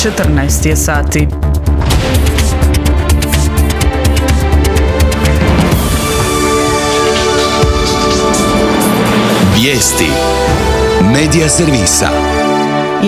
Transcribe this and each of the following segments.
14 je sati. Vijesti Medija servisa.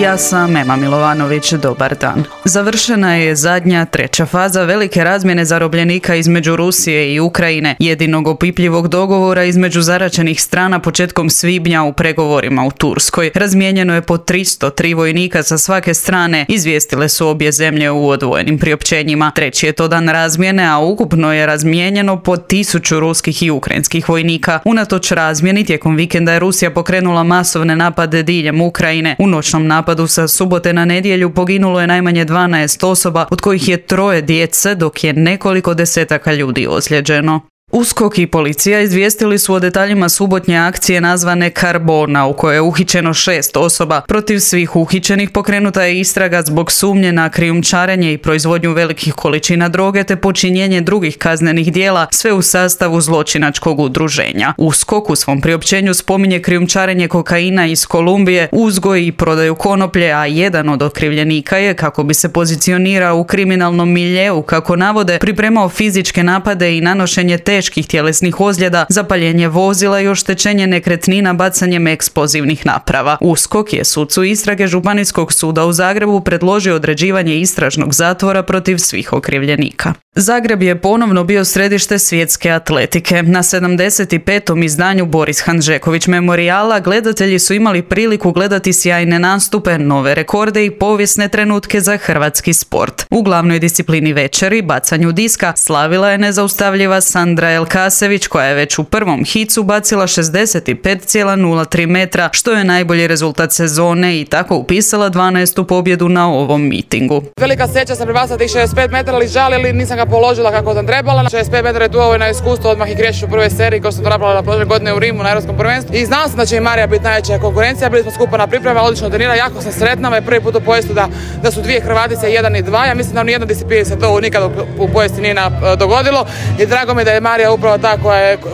Ja sam Ema Milovanović, dobar dan. Završena je zadnja, treća faza velike razmjene zarobljenika između Rusije i Ukrajine, jedinog opipljivog dogovora između zaraćenih strana početkom svibnja u pregovorima u Turskoj. Razmijenjeno je po 303 vojnika sa svake strane, izvijestile su obje zemlje u odvojenim priopćenjima. Treći je to dan razmjene, a ukupno je razmijenjeno po 1000 ruskih i ukrajinskih vojnika. Unatoč razmjeni, tijekom vikenda je Rusija pokrenula masovne napade diljem Ukrajine. U noćnom napadu sa subote na nedjelju poginulo je najmanje 12 osoba, od kojih je 3 djece, dok je nekoliko desetaka ljudi ozlijeđeno. USKOK i policija izvijestili su o detaljima subotnje akcije nazvane Karbona, u kojoj je uhićeno 6 osoba. Protiv svih uhićenih pokrenuta je istraga zbog sumnje na krijumčarenje i proizvodnju velikih količina droge te počinjenje drugih kaznenih djela, sve u sastavu zločinačkog udruženja. USKOK u svom priopćenju spominje krijumčarenje kokaina iz Kolumbije, uzgoj i prodaju konoplje, a jedan od okrivljenika je, kako bi se pozicionirao u kriminalnom miljeu, kako navode, pripremao fizičke napade i nanošenje teških tjelesnih ozljeda, zapaljenje vozila i oštećenje nekretnina bacanjem eksplozivnih naprava. USKOK je sucu istrage Županijskog suda u Zagrebu predložio određivanje istražnog zatvora protiv svih okrivljenika. Zagreb je ponovno bio središte svjetske atletike. Na 75. izdanju Boris Hanžeković memorijala gledatelji su imali priliku gledati sjajne nastupe, nove rekorde i povijesne trenutke za hrvatski sport. U glavnoj disciplini večeri, bacanju diska, slavila je nezaustavljiva Sandra Elkasević, koja je već u prvom hicu bacila 65,03 metra, što je najbolji rezultat sezone i tako upisala 12. pobjedu na ovom mitingu. Velika sreća sam prebacila tih 65 metara, ali žalili, nisam ga položila kako sam trebala. 65 metara je tu ovo na iskustvo, odmah i krećeš u prvoj seriji kao što sam napravila prošle godine u Rimu na Europskom prvenstvu. I znala sam da će i Marija biti najveća konkurencija, bili smo skupa na priprema, odlično trenira, jako sam sretna, me prvi put u povijestu da su dvije Hrvatice, 1 i 2. Ja mislim da u nijednoj disciplini se to nikad u povijesti nije dogodilo i drago mi je da je Marija upravo ta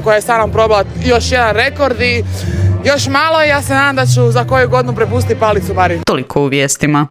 koja je sa mnom probala još jedan rekord i još malo, ja se nadam da ću za koju godinu prepustiti palicu Mariji. Toliko u vijestima.